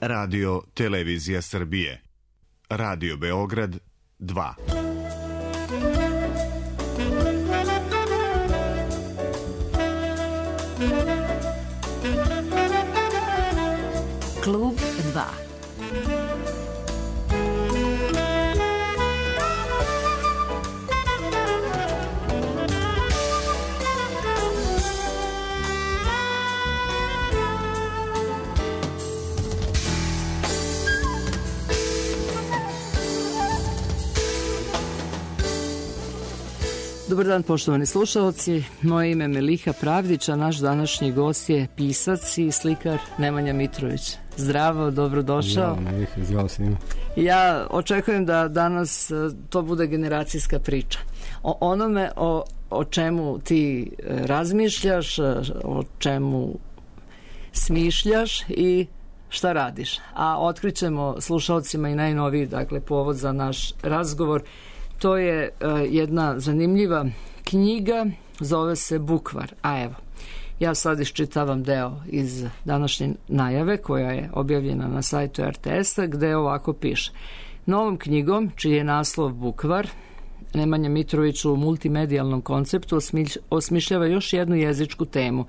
Radio Televizija Srbije. Radio Beograd 2. Klub 2. Dobar dan, poštovani slušalci. Moje ime je Meliha Pravdić, a naš današnji gost je pisac i slikar Nemanja Mitrović. Zdravo, dobrodošao. Zdravo, Meliha, zdravo svima. Ja očekujem da danas to bude generacijska priča. O onome o čemu ti razmišljaš, o čemu smišljaš i šta radiš. A otkrićemo slušalcima i najnoviji, dakle, povod za naš razgovor. To je jedna zanimljiva knjiga, zove se Bukvar. A evo, ja sad iščitavam deo iz današnje najave koja je objavljena na sajtu RTS-a, gde ovako piše. Novom knjigom, čiji je naslov Bukvar, Nemanja Mitrović u multimedijalnom konceptu osmišljava još jednu jezičku temu.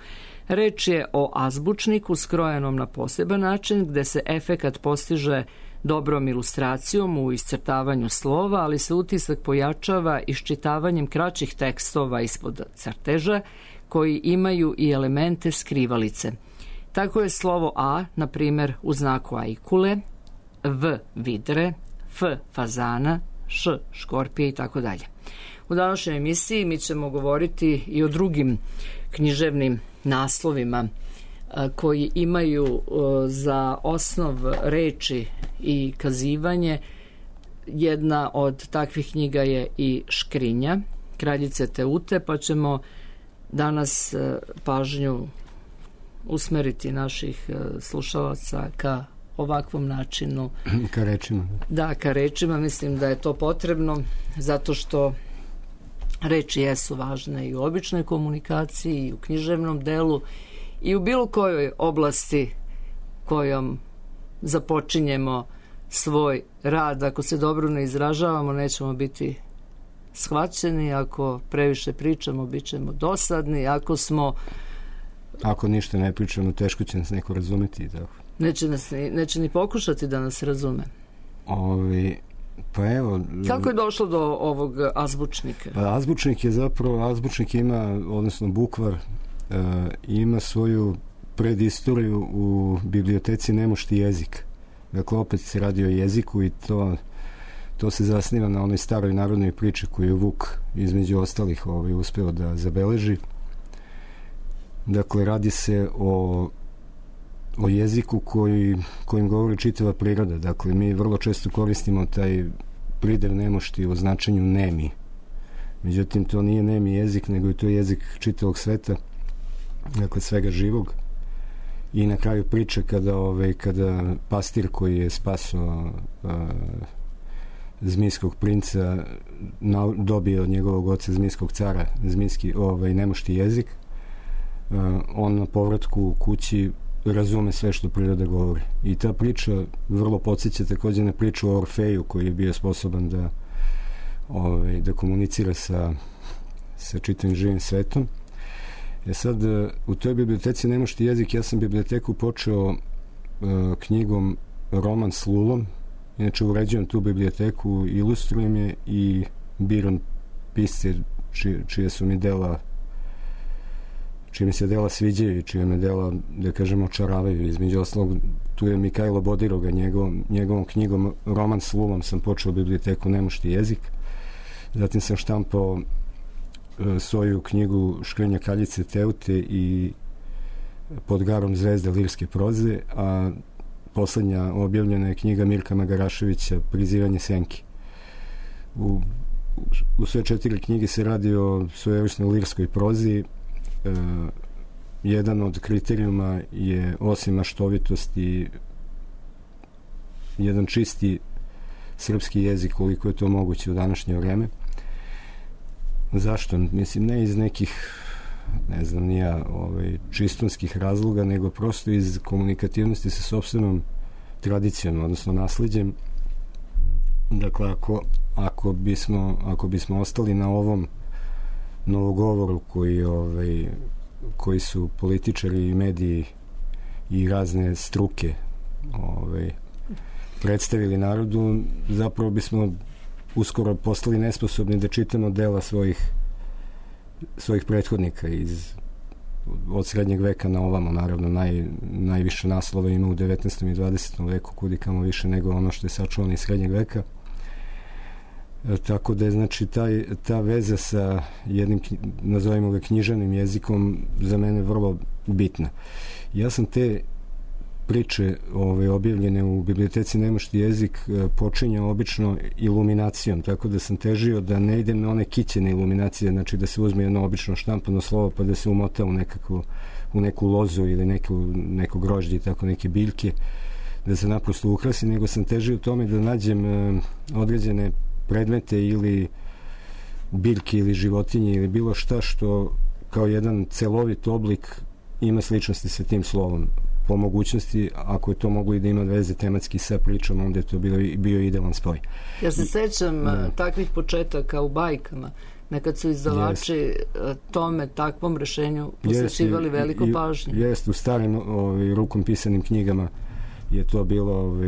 Reč je o azbučniku skrojenom na poseban način, gde se efekat postiže dobrom ilustracijom u iscrtavanju slova, ali se utisak pojačava iščitavanjem kraćih tekstova ispod crteža koji imaju i elemente skrivalice. Tako je slovo A, na primjer, u znaku ajkule, V vidre, F fazana, Š škorpije i tako dalje. U današnjoj emisiji mi ćemo govoriti i o drugim književnim naslovima koji imaju za osnov reči i kazivanje. Jedna od takvih knjiga je i Škrinja kraljice Teute, pa ćemo danas pažnju usmeriti naših slušalaca ka ovakvom načinu. Ka rečima. Da, ka rečima. Mislim da je to potrebno zato što reči jesu važne i u običnoj komunikaciji i u književnom delu i u bilo kojoj oblasti kojom započinjemo svoj rad. Ako se dobro ne izražavamo, nećemo biti shvaćeni, ako previše pričamo, bit ćemo dosadni, ako ništa ne pričamo, teško će nas neko razumeti. Neće ni pokušati da nas razume. Pa evo... Kako je došlo do ovog azbučnika? Pa azbučnik ima, odnosno Bukvar, ima svoju predistoriju u biblioteci Nemušti jezik. Dakle, opet se radi o jeziku i to se zasniva na onoj staroj narodnoj priči koju je Vuk između ostalih uspeo da zabeleži. Dakle, radi se o jeziku kojim govori čitava priroda. Dakle, mi vrlo često koristimo taj pridev nemošti u značenju nemi. Međutim, to nije nemi jezik, nego je to jezik čitavog sveta, dakle, svega živog. I na kraju priče kada pastir koji je spasao zmijskog princa dobio od njegovog oca zmijskog cara zmijski nemošti jezik, on na povratku kući razume sve što priroda govori. I ta priča vrlo podsjeća također na priču o Orfeju koji je bio sposoban da komunicira sa čitavim živim svetom. Sad, u toj biblioteci Nemušti jezik, ja sam biblioteku počeo knjigom Roman s Lulom. Inače, uređujem tu biblioteku, ilustrujem je i biram pisce čije mi se dela sviđaju i čije me dela, da kažemo, očaravaju. Između ostalog, tu je Mikajlo Bodiroga, njegovom knjigom Roman s Lulom sam počeo biblioteku Nemušti jezik. Zatim sam štampao svoju knjigu Škrinja kraljice Teute i Pod garom zvezde lirske proze, a poslednja objavljena je knjiga Mirka Magaraševića Prizivanje senki. U sve 4 knjige se radi o svojevrsnoj lirskoj prozi. Jedan od kriterijuma je, osim maštovitosti, jedan čisti srpski jezik, koliko je to moguće u današnje vreme. Zašto? Mislim, ne iz nekih, ne znam, nija čistunskih razloga, nego prosto iz komunikativnosti sa sopstvenom tradicijom, odnosno naslijeđem. Dakle, ako bismo ostali na ovom novogovoru koji su političari i mediji i razne struke predstavili narodu, zapravo bismo uskoro postali nesposobni da čitamo dela svojih prethodnika od srednjeg veka na ovamo. Naravno, najviše naslova ima u 19. i 20. veku, kudikamo više nego ono što je sačuvano iz srednjeg veka. Tako da je, znači, ta veza sa jednim, nazovimo ga, književnim jezikom za mene vrlo bitna. Ja sam te priče objavljene u biblioteci Nemušti jezik počinjao obično iluminacijom, tako da sam težio da ne idem na one kićene iluminacije, znači da se uzme jedno obično štampano slovo pa da se umota u neku lozu ili neko grožđe i tako neke biljke, da se naprosto ukrasi, nego sam težio tome da nađem određene predmete ili biljke ili životinje ili bilo šta što kao jedan celovit oblik ima sličnosti sa tim slovom. Po mogućnosti, ako je to moglo i da ima veze tematski sa pričom, onda je to bio idealan spoj. Ja se sećam takvih početaka u bajkama, nekad su izdavači takvom rešenju posvećivali veliku pažnju. Jeste, u starim rukom pisanim knjigama je to bilo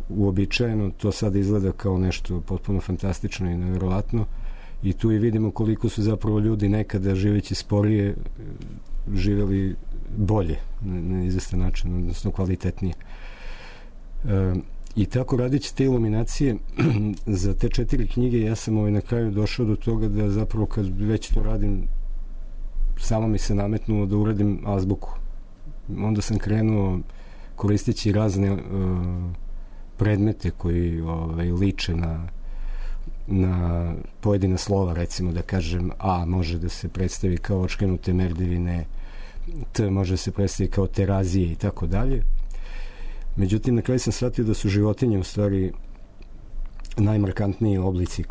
uobičajeno, to sada izgleda kao nešto potpuno fantastično i nevjerovatno, i tu i vidimo koliko su zapravo ljudi nekada živeći sporije živjeli bolje, na izvestan način, odnosno kvalitetnije. I tako, radići te iluminacije za te 4 knjige, ja sam na kraju došao do toga da zapravo kad već to radim, samo mi se nametnulo da uradim azbuku. Onda sam krenuo koristeći razne predmete koji liče na pojedina slova, recimo da kažem A može da se predstavi kao očkrenute merdevine, T može se predstaviti kao terazije i tako dalje. Međutim, na kraju sam shvatio da su životinje u stvari najmarkantniji oblici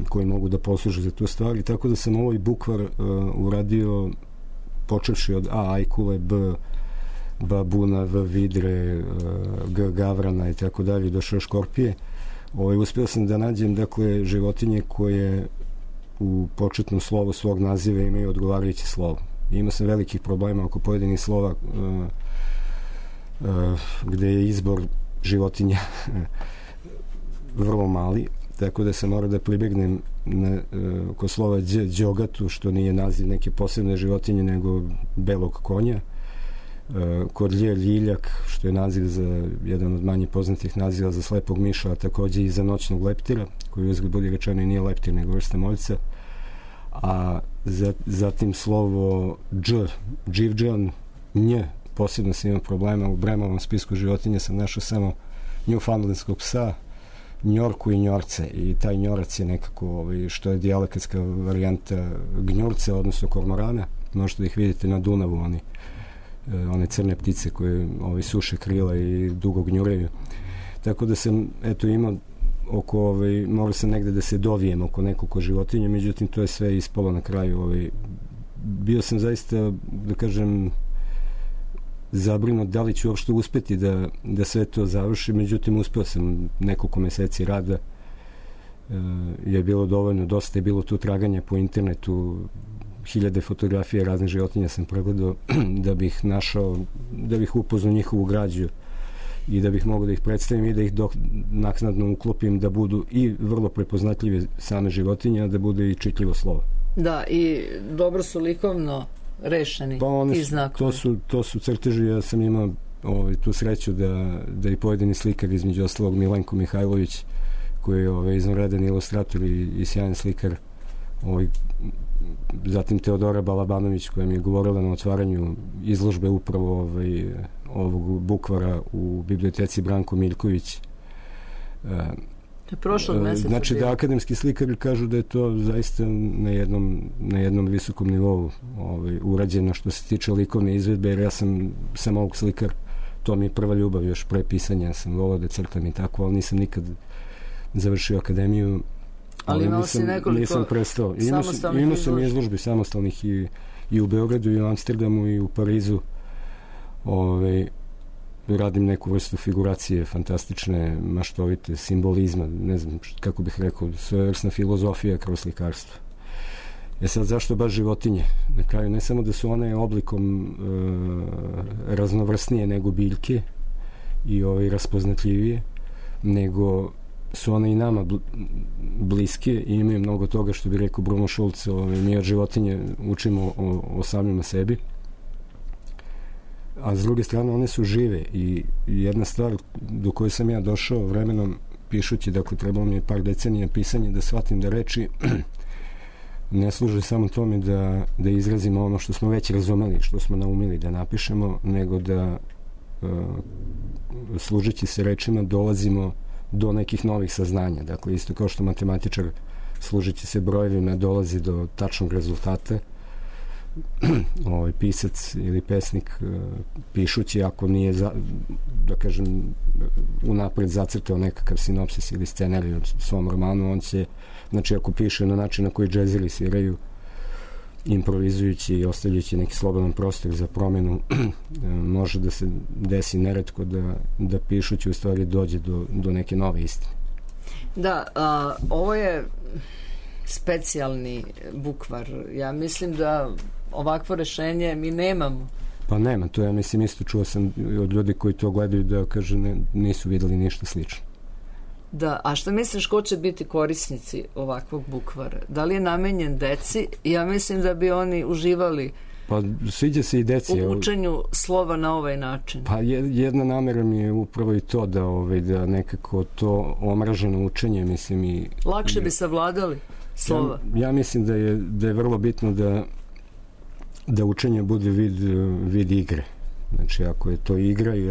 koji mogu da posluže za tu stvar, i tako da sam ovaj bukvar uradio počevši od A ajkule, B babuna, V vidre, G gavrana i tako dalje, došao škorpije. Uspio sam da nađem, dakle, životinje koje u početnom slovu svog naziva imaju odgovarajuće slovo. Imao sam velikih problema oko pojedinih slova gde je izbor životinja vrlo mali, tako da sam morao da pribegnem oko slova đogatu, što nije naziv neke posebne životinje nego belog konja, kod ljiljak, što je naziv za jedan od manje poznatih naziva za slepog miša, a takođe i za noćnog leptira, koji uzgled budi rečeno i nije leptir nego vrsta moljca. A zatim slovo dživđan, nj, posebno sam imao problema. U Bremovom spisku životinja sam našao samo njufandlinskog psa, njorku i njorce, i taj njorac je nekako, što je dijalekatska varijanta gnjurce, odnosno kormorana. Možete da ih vidite na Dunavu, one crne ptice koje suše krila i dugo gnjureju. Tako da sam imao morao sam negde da se dovijem oko nekoliko životinja, međutim to je sve ispalo na kraju. Bio sam zaista, da kažem, zabrinut da li ću uopšte uspeti da sve to završi, međutim uspeo sam. Nekoliko meseci rada je bilo dovoljno, dosta je bilo tu traganja po internetu, 1000 fotografija raznih životinja sam pregledao da bih našao, da bih upoznao njihovu građu i da bih mogao da ih predstavim i da ih naknadno uklopim da budu i vrlo prepoznatljive same životinje, a da bude i čitljivo slovo. Da, i dobro su likovno rešeni ti znakovi. To su crteži. Ja sam imao tu sreću da i pojedini slikar, između ostalog Milenko Mihajlović, koji je izvanredan ilustrator i sjajan slikar, zatim Teodora Balabanović, koja mi je govorila na otvaranju izložbe upravo ovog bukvara u biblioteci Branko Miljković. Prošlog meseca. Znači da akademski slikari kažu da je to zaista na jednom visokom nivou urađeno što se tiče likovne izvedbe, jer ja sam ovog slikar, to mi je prva ljubav još pre pisanja, sam volao da crtam i tako, ali nisam nikad završio akademiju. Ali imao si nekoliko samostalnih imao sam izložbi samostalnih i u Beogradu i u Amsterdamu i u Parizu. radim neku vrstu figuracije, fantastične, maštovite, simbolizma, ne znam kako bih rekao, svojevrsna filozofija kroz slikarstvo. Sad, zašto baš životinje? Na kraju, ne samo da su one oblikom raznovrsnije nego biljke i raspoznatljivije, nego su one i nama bliske i imaju mnogo toga, što bi rekao Bruno Schulz, mi od životinje učimo o samima sebi. A s druge strane, one su žive i jedna stvar do koje sam ja došao vremenom pišući, dakle, trebalo mi je par decenija pisanja da shvatim da reči ne služe samo tome da izrazimo ono što smo već razumeli, što smo naumili da napišemo, nego da služeći se rečima dolazimo do nekih novih saznanja. Dakle, isto kao što matematičar služeći se brojevima dolazi do tačnog rezultata, pisac ili pesnik pišući, ako nije da kažem unapred zacrtao nekakav sinopsis ili scenarij od svom romanu, on će, znači ako piše na način na koji džezeri sviraju, improvizujući i ostavljajući neki slobodan prostor za promenu, može da se desi neretko da pišući u stvari dođe do neke nove istine. Da, ovo je specijalni bukvar. Ja mislim da ovakvo rešenje mi nemamo. Pa nema, to ja mislim isto čuo sam od ljudi koji to gledaju da kaže nisu videli ništa slično. Da, a šta misliš ko će biti korisnici ovakvog bukvara? Da li je namenjen deci? Ja mislim da bi oni uživali pa sviđa se i deci u učenju slova na ovaj način. Pa jedna namera mi je upravo i to da nekako to omraženo učenje, mislim i... Lakše bi savladali slova. Ja mislim da je vrlo bitno da učenje bude vid igre. Znači, ako je to igra i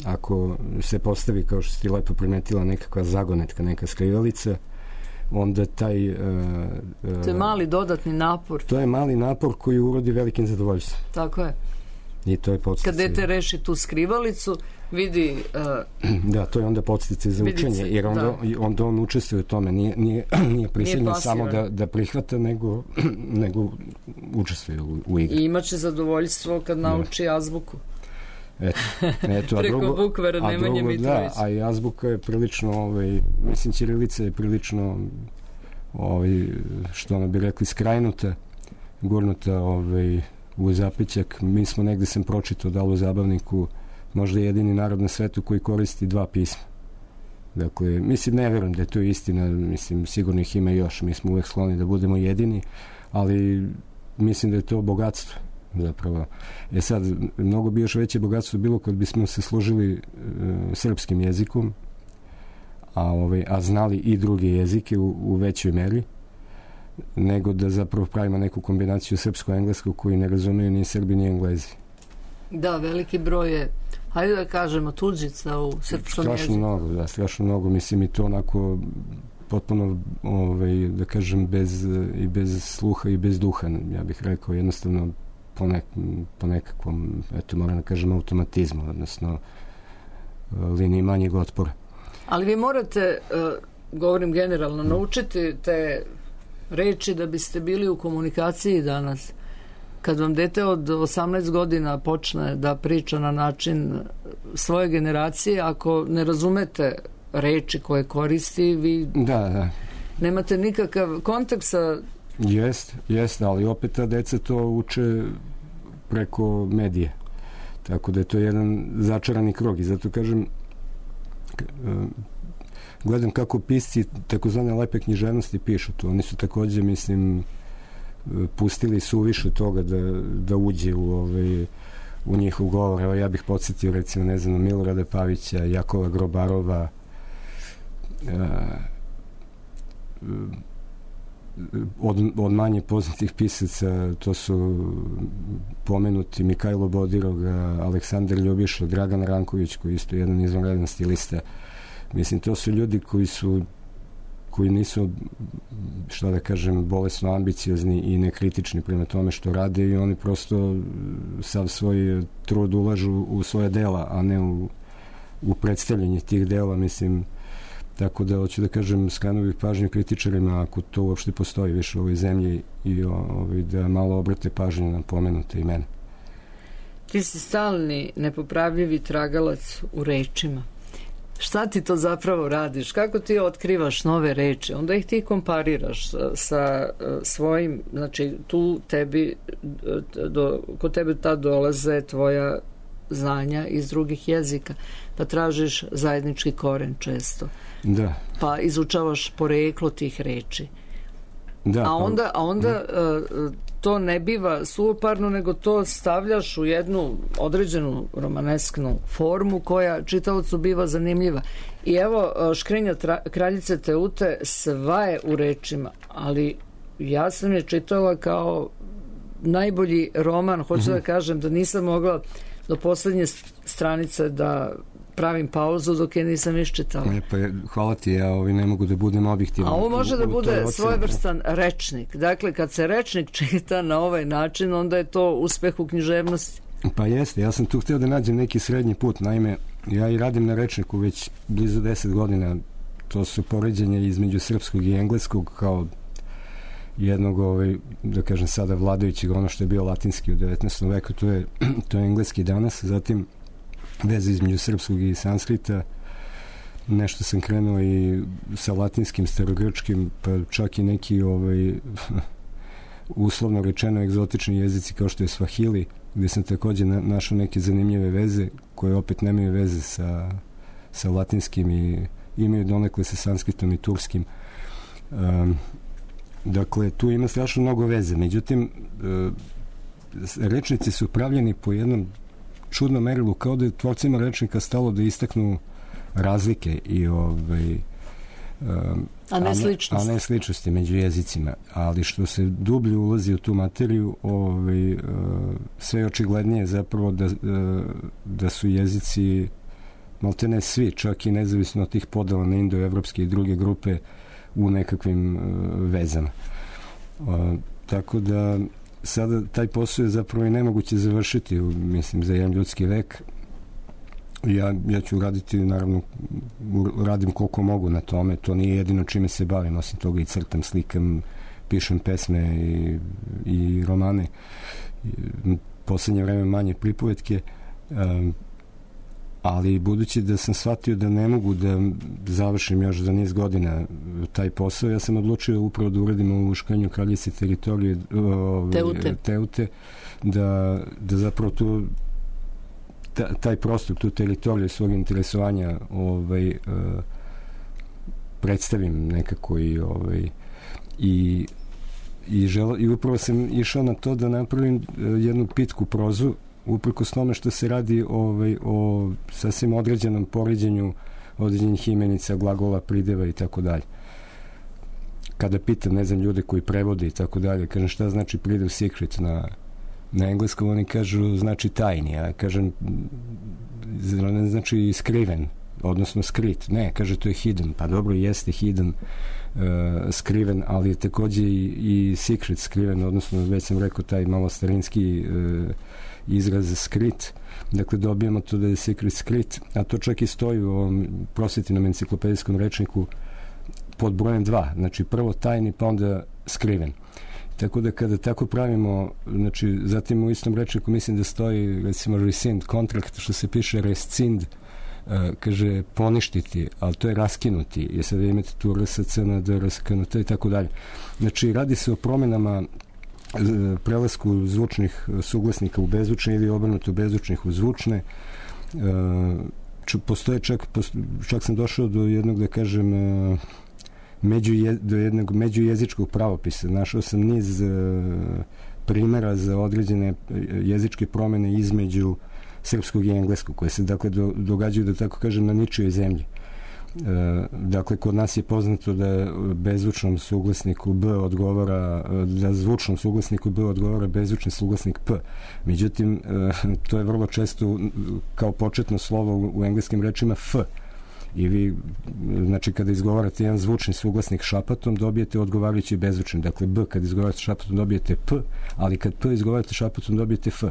ako se postavi, kao što si ti lepo primetila, nekakva zagonetka, neka skrivalica, onda taj... to je mali dodatni napor. To je mali napor koji urodi velikim zadovoljstvom. Tako je. I to je podsticaj. Kad dete reši tu skrivalicu, vidi... Da, to je onda podsticaj za učenje, jer onda on učestvuje u tome. Nije prisiljen samo da prihvata, nego učestvuje u igri. I imaće zadovoljstvo kad nauči azbuku. Eto, preko bukvara Nemanje Mitrović. Da, a i azbuka je prilično, mislim, ćirilica je prilično, što ono bi rekli, skrajnuta, gurnuta u zapećak. Mi smo negde sam pročitao da u zabavniku možda jedini narod na svetu koji koristi dva pisma. Dakle, mislim, ne verujem da je to istina, mislim, sigurno ih ima još, mi smo uvek skloni da budemo jedini, ali mislim da je to bogatstvo zapravo. Sad, mnogo bi još veće bogatstvo bilo kad bismo se služili srpskim jezikom, a znali i druge jezike u većoj meri, nego da zapravo pravimo neku kombinaciju srpsko-engleskog koji ne razumeju ni Srbi ni Englezi. Da, veliki broj je, hajde da kažemo, tuđica u srpskom jeziku. Strašno mnogo, mislim, i to onako potpuno, da kažem, bez sluha i bez duha, ja bih rekao, jednostavno po nekakvom, moram da kažem, automatizmu, odnosno liniji manjeg otpora. Ali vi morate, govorim generalno, naučiti te reči da biste bili u komunikaciji danas. Kad vam dete od 18 godina počne da priča na način svoje generacije, ako ne razumete reči koje koristi, vi nemate nikakav kontakt sa... Jeste, ali opet ta deca to uče preko medije. Tako da je to jedan začarani krug i zato kažem, gledam kako pisci takozvane lepe književnosti pišu to. Oni su takođe, mislim, pustili suviše toga da uđe u njihov govor. Evo, ja bih podsjetio, recimo, ne znam, Milorada Pavića, Jakova Grobarova, od manje poznatih pisaca to su pomenuti Mikajlo Bodirog, Aleksandar Ljubiša, Dragan Ranković, koji je isto jedan izvanredan stilista. Mislim, to su ljudi koji nisu, što da kažem, bolesno ambiciozni i nekritični prema tome što rade i oni prosto sav svoj trud ulažu u svoje dela, a ne u predstavljanje tih dela, mislim. Tako da, hoću da kažem, skrenuo pažnju kritičarima, ako to uopšte postoji više u ovoj zemlji, i da malo obrate pažnju na pomenute imena. Ti si stalni, nepopravljivi tragalac u rečima. Šta ti to zapravo radiš? Kako ti otkrivaš nove reči? Onda ih ti kompariraš sa svojim, znači tu tebi, kod tebe tad dolaze tvoja znanja iz drugih jezika, pa tražiš zajednički koren često. Da. Pa izučavaš poreklo tih reči. Da, a onda to ne biva suoparno, nego to stavljaš u jednu određenu romanesknu formu koja čitaocu biva zanimljiva. I evo, Škrinja kraljice Teute sva je u rečima, ali ja sam je čitala kao najbolji roman. Hoću da kažem da nisam mogla do poslednje stranice da pravim pauzu dok je nisam iščitala. Hvala ti, ja ne mogu da budem objektivan. A ovo može da bude svojevrstan rečnik. Dakle, kad se rečnik čita na ovaj način, onda je to uspeh u književnosti. Pa jeste, ja sam tu hteo da nađem neki srednji put. Naime, ja i radim na rečniku već blizu 10 godina. To su poređenja između srpskog i engleskog kao jednog, da kažem sada vladajućeg, ono što je bio latinski u 19. veku, to je engleski danas. Zatim veze između srpskog i sanskrita, nešto sam krenuo i sa latinskim, starogrčkim, pa čak i neki uslovno rečeno egzotični jezici kao što je Svahili, gde sam takođe našao neke zanimljive veze koje opet nemaju veze sa latinskim i imaju donekle sa sanskritom i turskim. Dakle, tu ima strašno mnogo veze. Međutim, rečnici su pravljeni po jednom čudnom merilu, kao da je tvorcima rečnika stalo da istaknu razlike i a ne sličnosti među jezicima. Ali što se dublje ulazi u tu materiju, sve je očiglednije zapravo da su jezici maltene svi, čak i nezavisno od tih podela na indoevropske i druge grupe, u nekakvim vezama. Tako da sada taj posao je zapravo i nemoguće završiti, mislim, za jedan ljudski vek. Ja ću raditi, naravno, radim koliko mogu na tome, to nije jedino čime se bavim, osim toga i crtam, slikam, pišem pesme i romane. Poslednje vreme manje pripovetke, ali budući da sam shvatio da ne mogu da završim još za niz godina taj posao, ja sam odlučio upravo da uradim u Škrinju kraljice teritorije Teute, da zapravo taj prostor, tu teritoriju svog interesovanja predstavim nekako i upravo sam išao na to da napravim jednu pitku prozu, uprkos tome što se radi o sasvim određenom poređenju određenih imenica, glagola, prideva i tako dalje. Kada pitam, ne znam, ljude koji prevode i tako dalje, kažem šta znači pridev secret na engleskom, oni kažu znači tajni, a kažem ne znači skriven, odnosno skrit. Ne, kaže to je hidden. Pa dobro, jeste hidden, skriven, ali je takođe i secret skriven, odnosno već sam rekao taj malo starinski izraz skrit. Dakle, dobijemo to da je secret skrit, a to čak i stoji u ovom prosvetnom enciklopedijskom rečniku pod brojem 2. Znači, prvo tajni, pa onda skriven. Tako da kada tako pravimo, znači, zatim u istom rečniku mislim da stoji, recimo, rescind contract, što se piše rescind, kaže poništiti, ali to je raskinuti. I sada imate tu RSC na DRSKNT i tako dalje. Znači, radi se o promenama, prelasku zvučnih suglasnika u bezvučne ili obrnuto bezvučnih u zvučne. Postoje čak sam došao do jednog, da kažem, do jednog međujezičkog pravopisa. Našao sam niz primera za određene jezičke promene između srpskog i engleskog, koje se dakle događaju, da tako kažem, na ničijoj zemlji. Dakle, kod nas je poznato da bezvučnom suglasniku B odgovara, da zvučnom suglasniku B odgovara bezvučni suglasnik P. Međutim, to je vrlo često kao početno slovo u engleskim rečima F. I vi, znači, kada izgovarate jedan zvučni suglasnik šapatom, dobijete odgovarajući bezvučni. Dakle, B kad izgovarate šapatom dobijete P, ali kad P izgovarate šapatom dobijete F.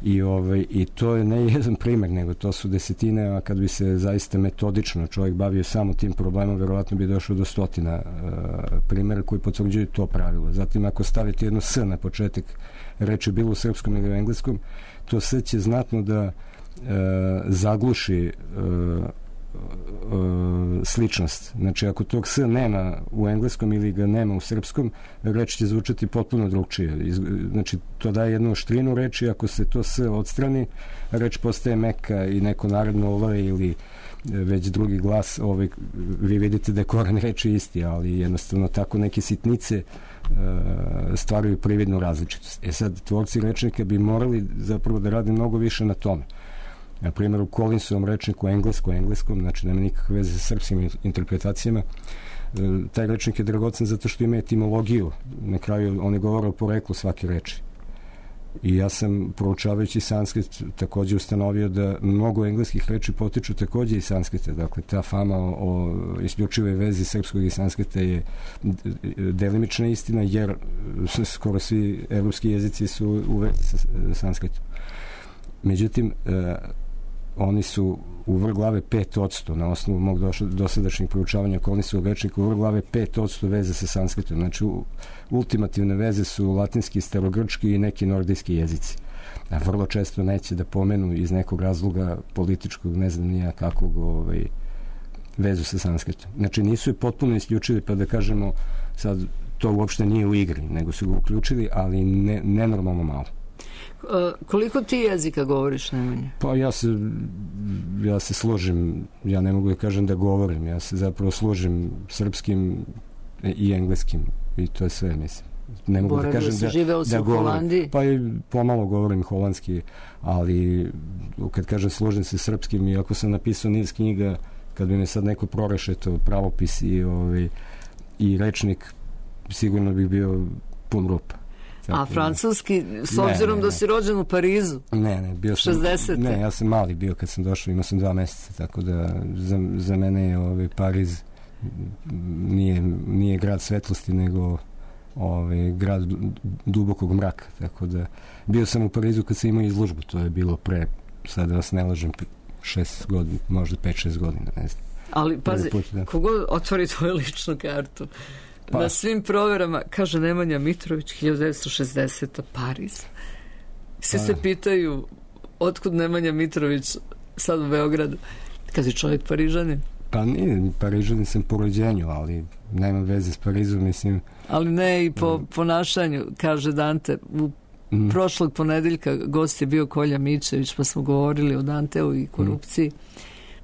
I to je ne jedan primer, nego to su desetine, a kad bi se zaista metodično čovjek bavio samo tim problemom, verovatno bi došao do stotina primjera koji potvrđuju to pravilo. Zatim, ako stavite jedno s na početak reči, bilo u srpskom ili u engleskom, to s će znatno da zagluši sličnost. Znači, ako tog s nema u engleskom ili ga nema u srpskom, reč će zvučati potpuno drugčije. Znači, to daje jednu oštrinu reči, ako se to s odstrani, reč postaje meka i neko naredno L ili već drugi glas, vi vidite da je koren reči isti, ali jednostavno tako neke sitnice stvaraju prividnu različitost. Sad, tvorci rečnika bi morali zapravo da rade mnogo više na tome. Na primjer, u Collinsovom rečniku engleskom, znači nema nikakve veze sa srpskim interpretacijama, taj rečnik je dragocen zato što ima etimologiju. Na kraju oni govore o poreklu svake reči. I ja sam, proučavajući sanskrit, takođe ustanovio da mnogo engleskih reči potiču takođe iz sanskrita. Dakle, ta fama o isključivoj vezi srpskog i sanskrita je delimična istina, jer skoro svi evropski jezici su u vezi sa sanskritom. Međutim, oni su u vrh glave 5%, na osnovu mog dosadašnjeg proučavanja Collinsovog rečnika, u vrh glave 5% veze sa sanskritom. Znači, ultimativne veze su latinski, starogrčki i neki nordijski jezici. A vrlo često neće da pomenu iz nekog razloga političkog, ne znam nija kakvog, vezu sa sanskritom. Znači, nisu je potpuno isključili, pa da kažemo, sad to uopšte nije u igri, nego su ga uključili, ali nenormalno malo. Koliko ti jezika govoriš, Nemanja? Pa ja se složim, ja ne mogu da kažem da govorim, ja se zapravo složim srpskim i engleskim i to je sve, mislim. Ne mogu da kažem da govorim. Pa i pomalo govorim holandski, ali kad kažem složim se srpskim, i ako sam napisao niz knjiga, kad bi me sad neko prorešeto pravopis i rečnik, sigurno bih bio pun rupa. A francuski, s obzirom da si rođen u Parizu? Ne, bio sam 60. Ne, ja sam mali bio kad sam došao, imao sam 2 meseca, tako da za mene je Pariz nije grad svetlosti, nego grad dubokog mraka, tako da bio sam u Parizu kad sam imao izložbu, to je bilo pre, sad da vas ne lažem, 6 godina, možda 5-6 godina, ne znam. Ali pazi, kogod otvori tvoju ličnu kartu, na svim proverama kaže Nemanja Mitrović 1960. Pariz. Svi se pitaju otkud Nemanja Mitrović sad u Beogradu, kad je čovjek Parižanin. Pa nije, Parižanin sam po rođenju, ali nema veze s Parizom, mislim. Ali ne i po ponašanju, kaže Dante. Prošlog ponedeljka gost je bio Kolja Mičević, pa smo govorili o Danteu i korupciji.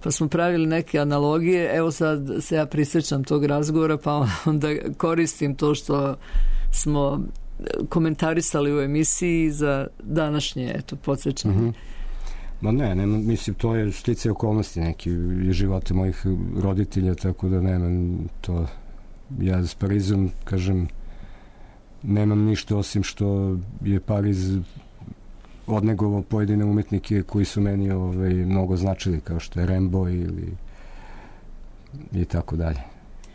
Pa smo pravili neke analogije, evo sad se ja prisjećam tog razgovora, pa onda koristim to što smo komentarisali u emisiji za današnje, podsjećanje. Ma ne, mislim, to je sticaje okolnosti neki živote mojih roditelja, tako da nemam to, ja s Parizom, kažem, nemam ništa osim što je Pariz odnegovao pojedine umetnike koji su meni mnogo značili, kao što je Rimbaud i tako dalje.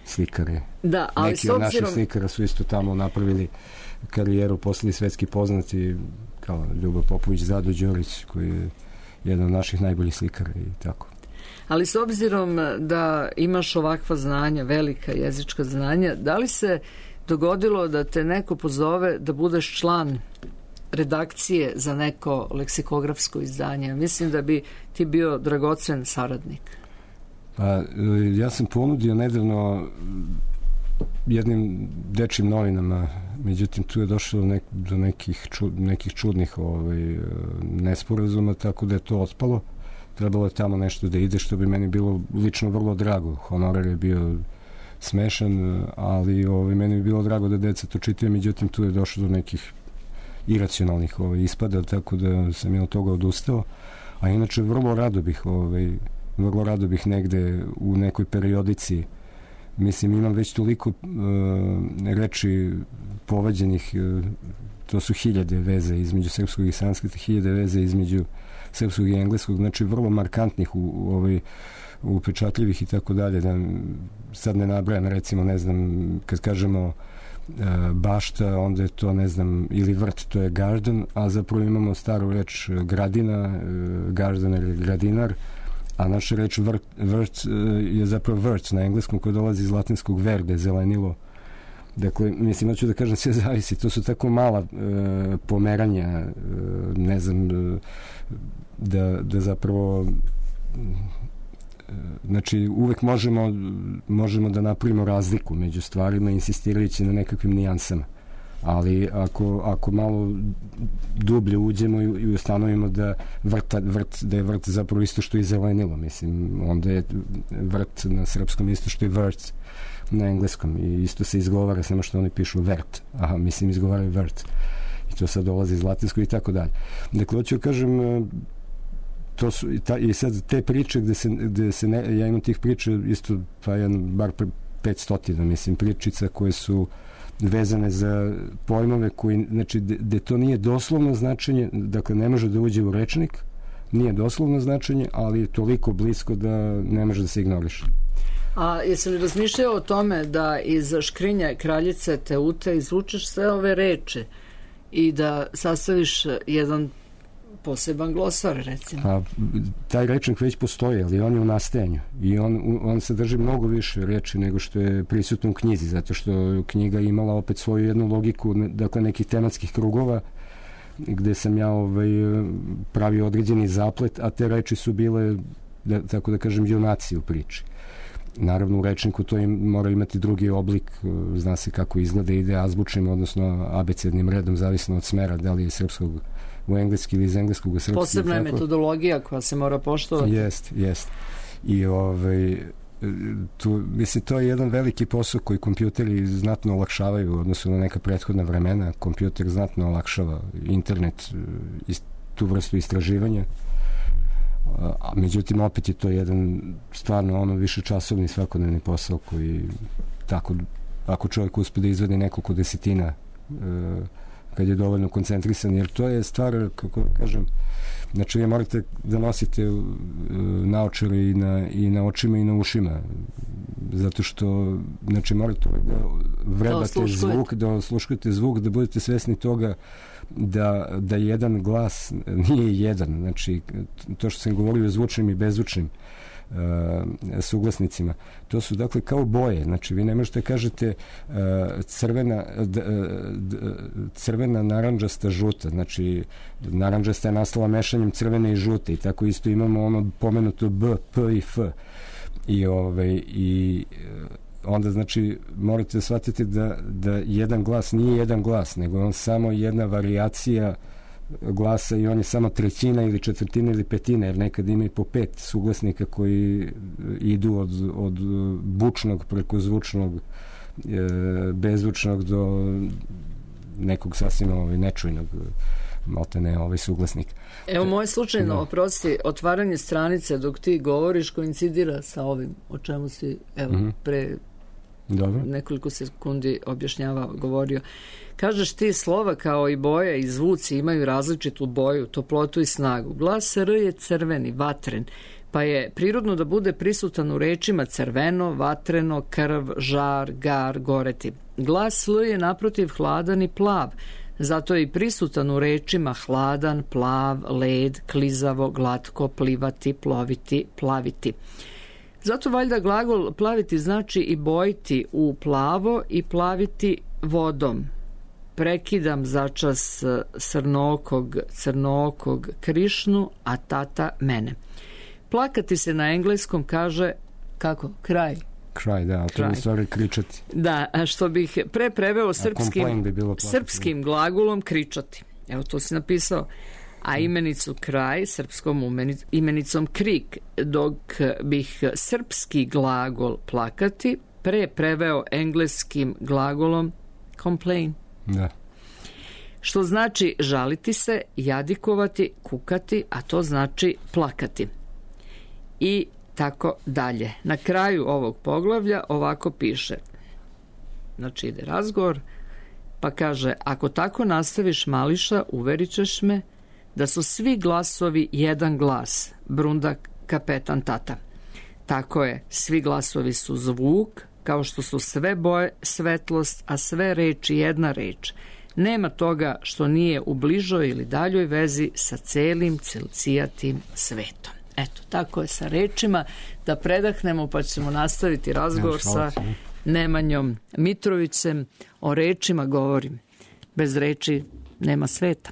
Slikare. Da, ali neki od naših slikara su isto tamo napravili karijeru, postali svetski poznati, kao Ljubo Popović, Zado Đorić, koji je jedan od naših najboljih slikara i tako. Ali s obzirom da imaš ovakva znanja, velika jezička znanja, da li se dogodilo da te neko pozove da budeš član redakcije za neko leksikografsko izdanje? Mislim da bi ti bio dragocen saradnik. Pa, ja sam ponudio nedavno jednim dečjim novinama, međutim tu je došlo do nekih čudnih nesporazuma, tako da je to otpalo. Trebalo je tamo nešto da ide, što bi meni bilo lično vrlo drago. Honorar je bio smešan, ali meni bi bilo drago da deca to čitaju, međutim tu je došlo do nekih iracionalnih ispada, tako da sam je od toga odustao. A inače vrlo rado bih negde u nekoj periodici, mislim, imam već toliko reči povađenih, to su 1000 veze između srpskog i sanskrita, 1000 veze između srpskog i engleskog, znači vrlo markantnih upečatljivih i tako dalje, da sad ne nabrajam, recimo, ne znam, kad kažemo bašta, onda je to, ne znam, ili vrt, to je garden, a zapravo imamo staru reč gradina, gardener je gradinar, a naša reč vrt je zapravo vrt na engleskom, koja dolazi iz latinskog verde, zelenilo. Dakle, mislim, hoću da kažem, sve zavisi. To su tako mala pomeranja, ne znam, da zapravo znači, uvek možemo da napravimo razliku među stvarima, insistirajući na nekakvim nijansama. Ali ako malo dublje uđemo i ustanovimo da je vrt zapravo isto što i zelenilo, mislim, onda je vrt na srpskom isto što i vrt na engleskom i isto se izgovara, samo što oni pišu vert, mislim izgovaraju vrt i to sad dolazi iz latinskog i tako dalje. Dakle, hoću da kažem, to su i sad te priče gde se ja imam tih priča isto bar 500, mislim, pričica koje su vezane za pojmove koji, znači, gde to nije doslovno značenje, dakle ne može da uđe u rečnik, nije doslovno značenje, ali je toliko blisko da ne može da se ignoriše. A jesi li razmišljao o tome da iz škrinja kraljice Teute izvučeš sve ove reči i da sastaviš jedan poseban glosar, recimo? A taj rečnik već postoji, ali on je u nastajanju i on sadrži mnogo više reči nego što je prisutno u knjizi, zato što knjiga imala opet svoju jednu logiku, dakle nekih tematskih krugova gde sam ja pravio određeni zaplet, a te reči su bile, tako da kažem, junaci u priči. Naravno, u rečniku to mora imati drugi oblik, zna se kako izgleda, ide azbučnim, odnosno abecednim redom, zavisno od smera, da li je srpskog u engleski ili iz engleskog u srpski. Posebna je metodologija koja se mora poštovati. Jest. I mislim, to je jedan veliki posao koji kompjuteri znatno olakšavaju u odnosu na neka prethodna vremena. Kompjuter znatno olakšava internet i tu vrstu istraživanja. A međutim, opet je to jedan stvarno višečasovni svakodnevni posao koji tako, ako čovjek uspe da izvede nekoliko desetina kad je dovoljno koncentrisan, jer to je stvar, kako kažem, znači vi morate da nosite naočare i na očima i na ušima, zato što, znači, morate da vrebate zvuk, da osluškujete zvuk, da budete svesni toga da jedan glas nije jedan, znači to što sam govorio o zvučnim i bezvučnim suglasnicima, to su dakle kao boje, znači vi ne možete kažete crvena, narandžasta, žuta, znači narandžasta je nastala mešanjem crvene i žute i tako isto imamo ono pomenuto B, P i F i onda, znači, morate da shvatite da jedan glas nije jedan glas, nego on samo jedna varijacija glasa i on je samo trećina ili četvrtina ili petina, jer nekad ima i po 5 suglasnika koji idu od bučnog preko zvučnog, bezvučnog do nekog sasvim nečujnog maltene suglasnik. Evo, moje slučajno, oprosti, otvaranje stranice dok ti govoriš koincidira sa ovim o čemu si pre nekoliko sekundi govorio. Kažeš ti, slova kao i boje i zvuci imaju različitu boju, toplotu i snagu. Glas R je crveni, vatren, pa je prirodno da bude prisutan u rečima crveno, vatreno, krv, žar, gar, goreti. Glas L je naprotiv hladan i plav, zato je i prisutan u rečima hladan, plav, led, klizavo, glatko, plivati, ploviti, plaviti. Zato valjda glagol plaviti znači i bojiti u plavo i plaviti vodom. Prekidam začas crnookog Krišnu, a tata mene. Plakati se na engleskom kaže, kako? Kraj. Kraj, da, ali to je u stvari kričati. Da, što bih pre preveo srpskim glagolom kričati. Evo, to si napisao. A imenicu kraj srpskom imenicom krik, dok bih srpski glagol plakati preveo engleskim glagolom complain. Da. Što znači žaliti se, jadikovati, kukati, a to znači plakati. I tako dalje. Na kraju ovog poglavlja ovako piše. Znači ide razgovor, pa kaže, ako tako nastaviš, Mališa, uverit ćeš me da su svi glasovi jedan glas, brunda kapetan tata. Tako je, svi glasovi su zvuk, kao što su sve boje svetlost, a sve reči jedna reč. Nema toga što nije u bližoj ili daljoj vezi sa celim cilcijatim svetom. Eto, tako je sa rečima. Da predahnemo pa ćemo nastaviti razgovor sa Nemanjom Mitrovićem. O rečima govorim. Bez reči nema sveta.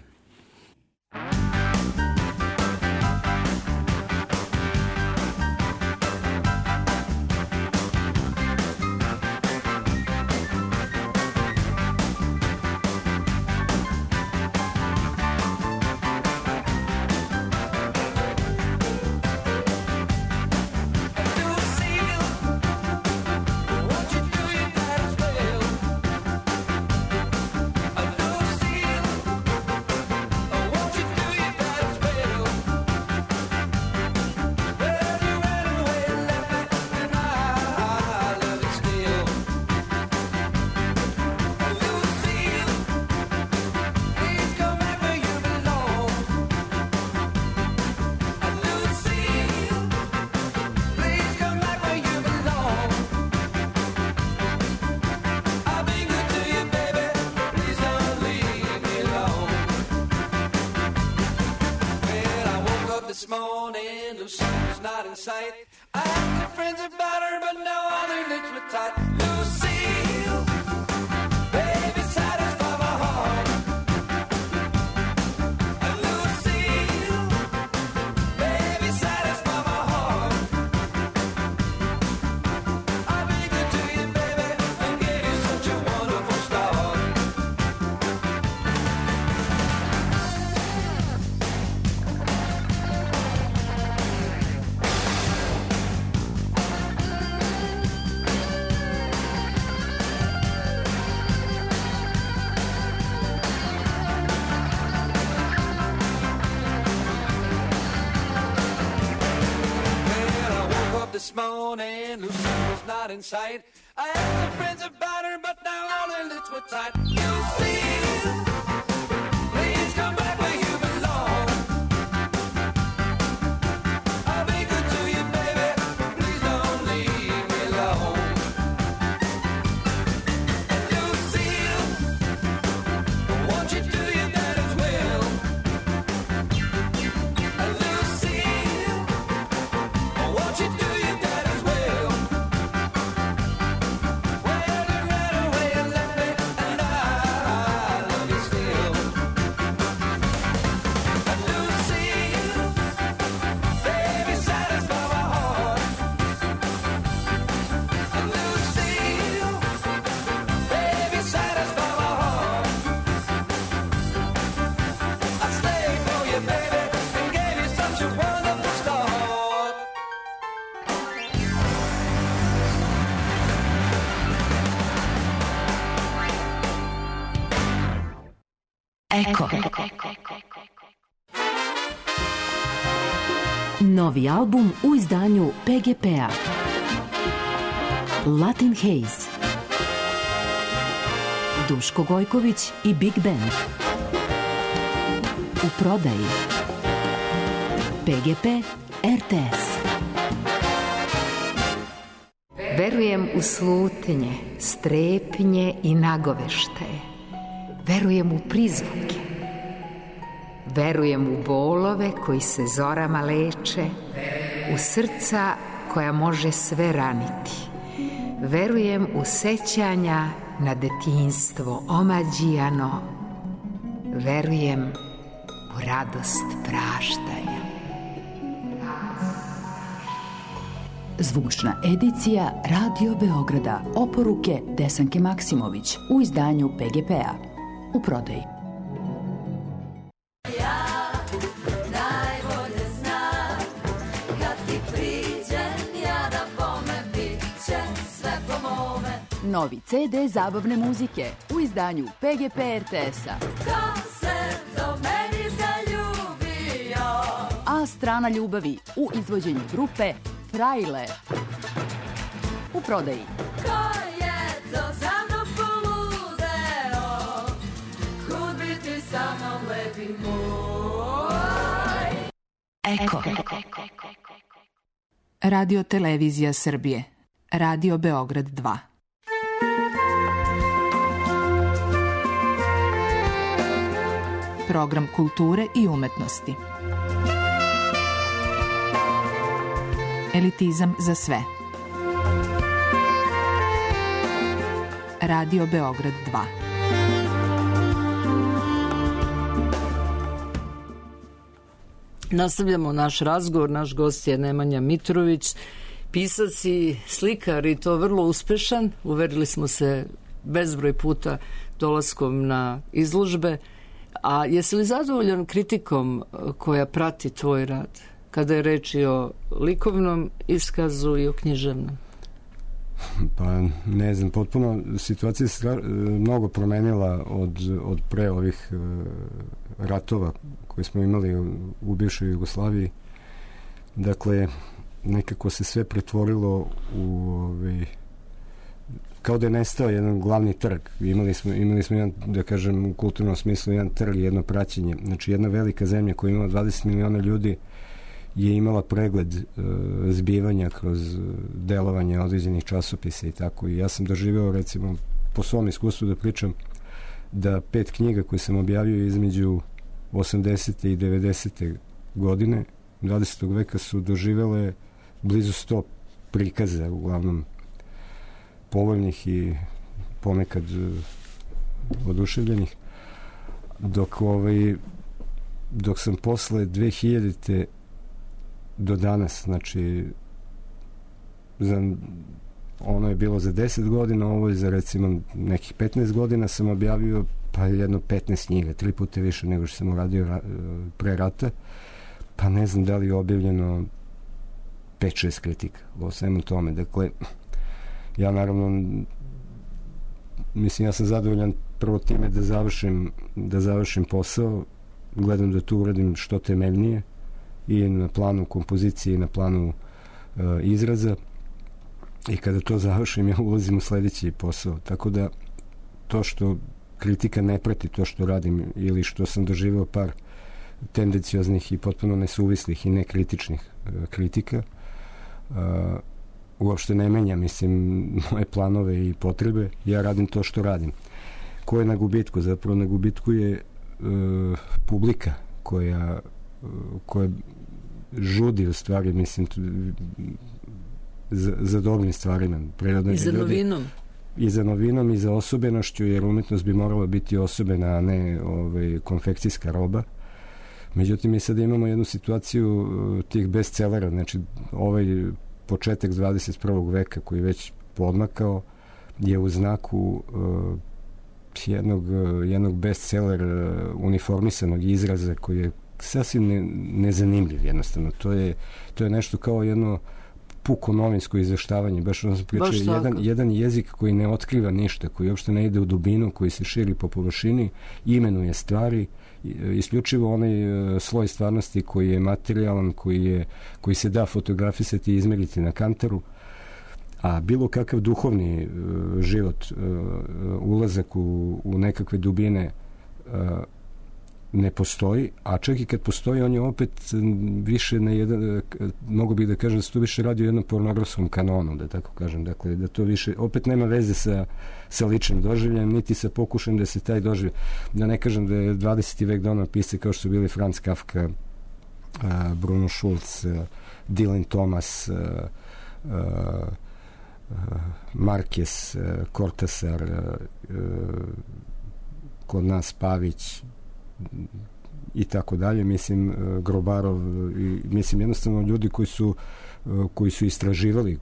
This morning, Lucy was not in sight. I asked her friends about her, but now all their lips were tight. Lucille, please come back where you belong. I'll be good to you, baby. Please don't leave me alone. And Lucille, won't you do your that as well? And Lucille, won't you do Eko. Novi album u izdanju PGP-a. Latin Haze. Duško Gojković i Big Band. U prodaji. PGP RTS. Verujem u slutnje, strepnje i nagoveštaje. Verujem u prizvuke. Verujem u bolove koji se zorama leče, u srca koja može sve raniti. Verujem u sećanja na detinjstvo omađijano. Verujem u radost praštanja. Zvučna edicija Radio Beograda. Oporuke Desanke Maksimović u izdanju PGP-a. U prodaji. Novi CD zabavne muzike u izdanju PGP RTS-a. Ko se do meni zaljubio? A strana ljubavi u izvođenju grupe Frajle. U prodaji. Ko je to za mnom poludeo? Kud biti sa mnom lepi moj? Eko. Radio Televizija Srbije. Radio Beograd 2. Program kulture i umetnosti. Elitizam za sve. Radio Beograd 2. Nastavljamo naš razgovor. Naš gost je Nemanja Mitrović, pisac i slikar, i to vrlo uspešan. Uverili smo se bezbroj puta dolaskom na izložbe. A jesi li zadovoljan kritikom koja prati tvoj rad, kada je reč i o likovnom iskazu i o književnom? Pa ne znam, potpuno situacija se mnogo promenila od pre ovih ratova koje smo imali u bivšoj Jugoslaviji. Dakle, nekako se sve pretvorilo u kao da je nestao jedan glavni trg. Imali smo jedan, da kažem, u kulturnom smislu jedan trg, jedno praćenje. Znači, jedna velika zemlja koja ima 20 miliona ljudi je imala pregled zbivanja kroz delovanje određenih časopisa i tako. I ja sam doživeo, recimo, po svom iskustvu da pričam, da 5 knjiga koje sam objavio između 80. i 90. godine 20. veka su doživele blizu 100 prikaza, uglavnom povoljnih i ponekad oduševljenih, dok sam posle 2000. do danas, znači ono je bilo za 10 godina, ovo je za recimo nekih 15 godina, sam objavio pa jedno 15 knjiga, 3 puta više nego što sam uradio pre rata, pa ne znam da li je objavljeno 5-6 kritika o svemu tome. Dakle, ja naravno mislim, ja sam zadovoljan prvo time da završim posao, gledam da tu uradim što temeljnije i na planu kompozicije i na planu izraza, i kada to završim ja ulazim u sledeći posao, tako da to što kritika ne prati to što radim ili što sam doživeo par tendencioznih i potpuno nesuvislih i nekritičnih kritika, uopšte ne menja, mislim, moje planove i potrebe. Ja radim to što radim. Ko je na gubitku? Zapravo na gubitku je publika koja žudi u stvari, mislim, za dobrim stvarima. I za novinom. I za novinom i za osobenošću, jer umetnost bi morala biti osobena, a ne konfekcijska roba. Međutim, mi sada imamo jednu situaciju tih bestsellera, znači ovaj početak 21. veka koji već podmakao je u znaku jednog bestseller uniformisanog izraza koji je sasvim nezanimljiv jednostavno. To je nešto kao jedno puko novinsko izveštavanje, baš ono sam pričao, jedan jezik koji ne otkriva ništa, koji uopšte ne ide u dubinu, koji se širi po površini, imenuje stvari, isključivo onaj sloj stvarnosti koji je materijalan, koji se da fotografisati i izmeriti na kantaru, a bilo kakav duhovni život, ulazak u nekakve dubine ne postoji, a čak i kad postoji, on je opet više na jedan, mogu bih da kažem da se to više radi o jednom pornografskom kanonu, da tako kažem, dakle, da to više, opet nema veze sa ličnim doživljem, niti sa pokušajem da se taj doživlje, da ne kažem da je 20. vek donao pisce kao što su bili Franz Kafka, Bruno Schulz, Dylan Thomas, Marquez, Cortázar, kod nas Pavić i tako dalje, mislim, Grobarov, mislim, jednostavno ljudi koji su istraživali,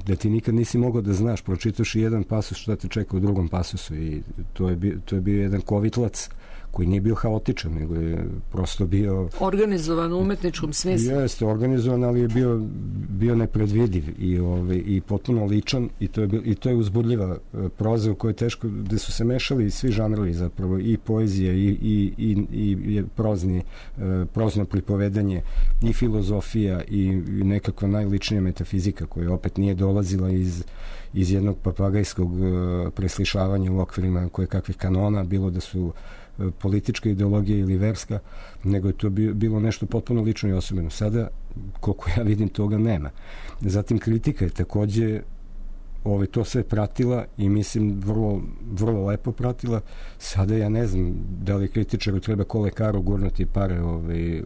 da ti nikad nisi mogao da znaš, pročitaš i jedan pasus šta te čeka u drugom pasusu, i to je bio jedan kovitlac koji nije bio haotičan, nego je prosto bio organizovan u umetničkom smislu. Jeste organizovan, ali je bio nepredvidiv i potpuno ličan, i to je uzbudljiva proza u kojoj je teško, gde su se mešali svi žanrovi zapravo, i poezija i prozno pripovedanje, i filozofija, i nekakva najličnija metafizika koja opet nije dolazila iz jednog papagajskog preslišavanja u okvirima koje kakvih kanona, bilo da su politička ideologija ili verska, nego je to bilo nešto potpuno lično i osobeno. Sada, koliko ja vidim, toga nema. Zatim kritika je takođe to sve pratila i mislim vrlo, vrlo lepo pratila. Sada ja ne znam da li kritičaru treba ko lekaru gurnuti pare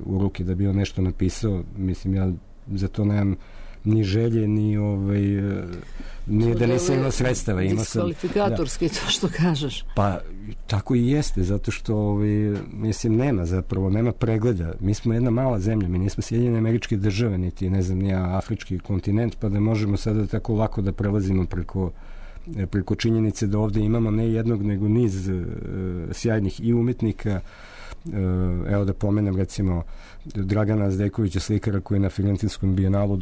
u ruke da bi on nešto napisao. Mislim, ja za to nemam ni želje, ni nije da nisam imao sredstava. Diskvalifikatorski to što kažeš. Pa tako i jeste, zato što mislim nema pregleda. Mi smo jedna mala zemlja, mi nismo Sjedinjene Američke Države, niti ne znam nija afrički kontinent, pa da možemo sada tako lako da prelazimo preko činjenice da ovde imamo ne jednog nego niz sjajnih i umetnika. Evo da pomenem recimo Dragana Zdejkovića, slikara koji je na Firentinskom bijenalu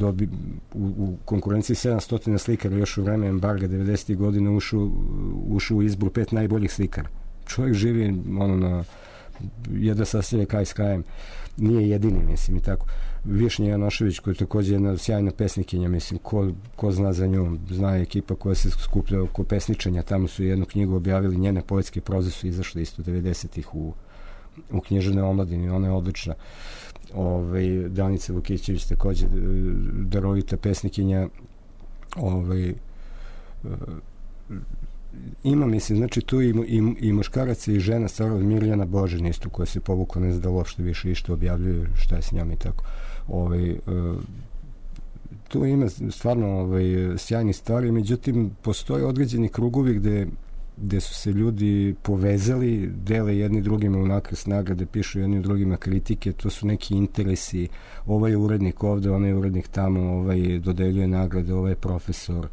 u konkurenciji 700 slikara još u vreme embarga 90. godine ušao u izbor 5 najboljih slikara. Čovjek živi na jedva sastavlja kraj s krajem. Nije jedini, mislim, i tako. Višnja Janošević, koja je također jedna sjajna pesnikinja, mislim, ko zna za nju, zna ekipa koja se skuplja oko pesničenja, tamo su jednu knjigu objavili, njene poetske proze su izašle isto 90-ih u književnoj omladini, ona je odlična. Danica Vukićević također darovita pesnikinja. Ima, mislim, znači tu i muškaraca i žena, stvarno Mirjana Božin isto, koja se povukla, ne zna da uopšte više išto objavljuje, šta je s njom i tako. Tu ima stvarno sjajni stvari, međutim postoje određeni krugovi gde su se ljudi povezali, dele jedni drugima u nakres nagrade, pišu jedni drugima kritike, to su neki interesi, ovaj urednik ovde, onaj urednik tamo, dodeljuje nagrade, ovaj profesor.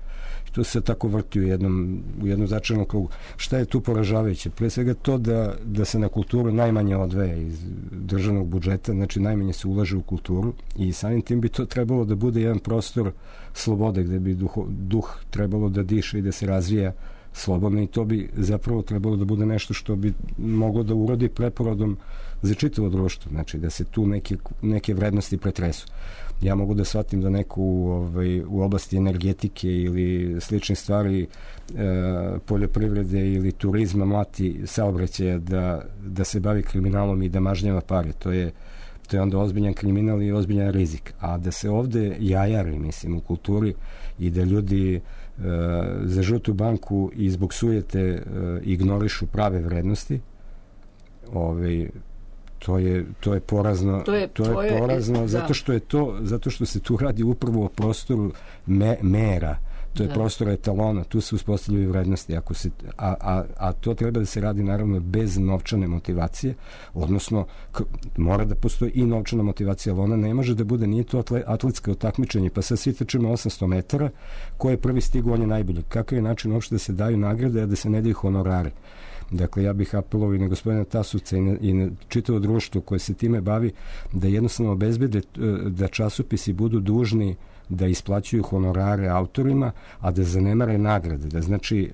To se tako vrti u jednom začarnom krugu. Šta je tu poražavajuće? Pre svega to da se na kulturu najmanje odvaja iz državnog budžeta, znači najmanje se ulaže u kulturu i samim tim bi to trebalo da bude jedan prostor slobode gde bi duh trebalo da diše i da se razvija slobodno i to bi zapravo trebalo da bude nešto što bi moglo da urodi preporodom za čitavo društvo, znači da se tu neke vrednosti pretresu. Ja mogu da shvatim da neko u oblasti energetike ili sličnih stvari, poljoprivrede ili turizma mlati saobraćaja da se bavi kriminalom i da mažnjava pare. To je onda ozbiljan kriminal i ozbiljan rizik. A da se ovde jajari, mislim, u kulturi i da ljudi za žutu banku i zbog sujete ignorišu prave vrednosti, to je porazno. To je porazno zato što se tu radi upravo o prostoru mera. To je prostor etalona, tu se uspostavljaju vrednosti. A to treba da se radi naravno bez novčane motivacije, odnosno mora da postoji i novčana motivacija, ali ona ne može da bude, nije to atletsko takmičenje, pa sad svi trčimo 800 metara, ko je prvi stigao, on je najbolji. Kakav je način uopšte da se daju nagrade, a da se ne daju honorare? Dakle, ja bih apelovao i na gospodina Tasovca i na čitavo društvo koje se time bavi, da jednostavno obezbede da časopisi budu dužni da isplaćuju honorare autorima, a da zanemare nagrade. Da znači,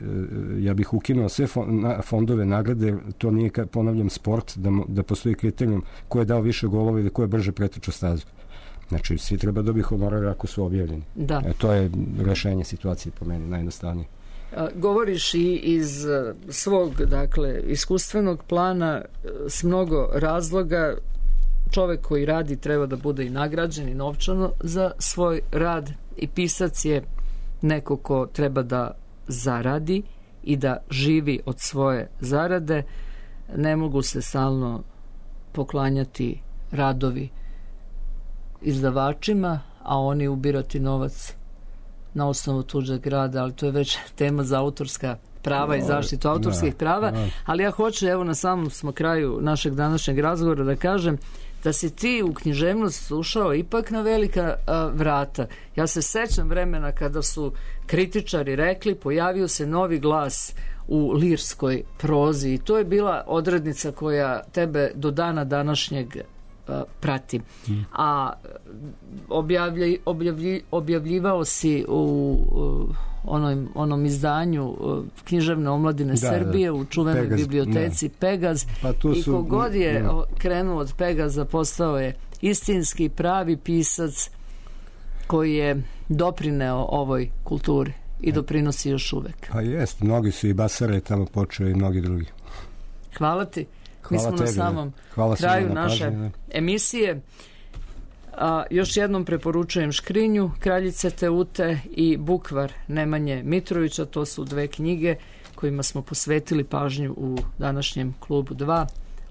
ja bih ukinuo sve fondove nagrade, to nije, ponavljam, sport, da postoji kriterijum ko je dao više golova ili ko je brže pretrčao stazu. Znači, svi treba dobiti honorare ako su objavljeni. Da. To je rešenje situacije po meni, najjednostavnije. Govoriš i iz svog, dakle, iskustvenog plana s mnogo razloga. Čovek koji radi treba da bude i nagrađen i novčano za svoj rad i pisac je neko ko treba da zaradi i da živi od svoje zarade. Ne mogu se stalno poklanjati radovi izdavačima, a oni ubirati novac na osnovu tuđeg rada, ali to je već tema za autorska prava i zaštitu autorskih prava, ali ja hoću, evo na samom smo kraju našeg današnjeg razgovora da kažem da si ti u književnost ušao ipak na velika vrata. Ja se sećam vremena kada su kritičari rekli pojavio se novi glas u lirskoj prozi i to je bila odrednica koja tebe do dana današnjeg prati. A objavljivao si u onom izdanju književne omladine Srbije u čuvenoj biblioteci Pegaz, i kogod je krenuo od Pegaza postao je istinski pravi pisac koji je doprineo ovoj kulturi i doprinosi još uvek. Pa jest, mnogi su i Basare tamo počeo i mnogi drugi. Hvala ti. Mi smo na samom kraju naše emisije. Još jednom preporučujem Škrinju Kraljice Teute i Bukvar Nemanje Mitrovića. To su 2 knjige kojima smo posvetili pažnju u današnjem klubu 2.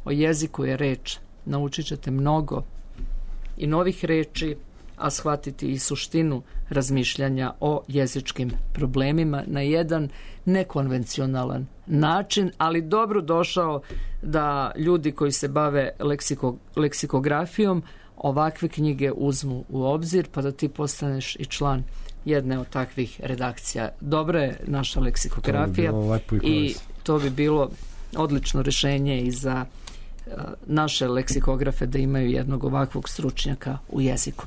O jeziku je reč. Naučit ćete mnogo i novih reči, a shvatiti i suštinu razmišljanja o jezičkim problemima na jedan nekonvencionalan način, ali dobro došao da ljudi koji se bave leksikografijom ovakve knjige uzmu u obzir, pa da ti postaneš i član jedne od takvih redakcija. Dobra je naša leksikografija i to bi bilo odlično rješenje i za naše leksikografe da imaju jednog ovakvog stručnjaka u jeziku.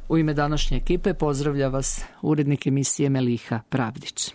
U ime današnje ekipe pozdravlja vas urednik emisije Meliha Pravdić.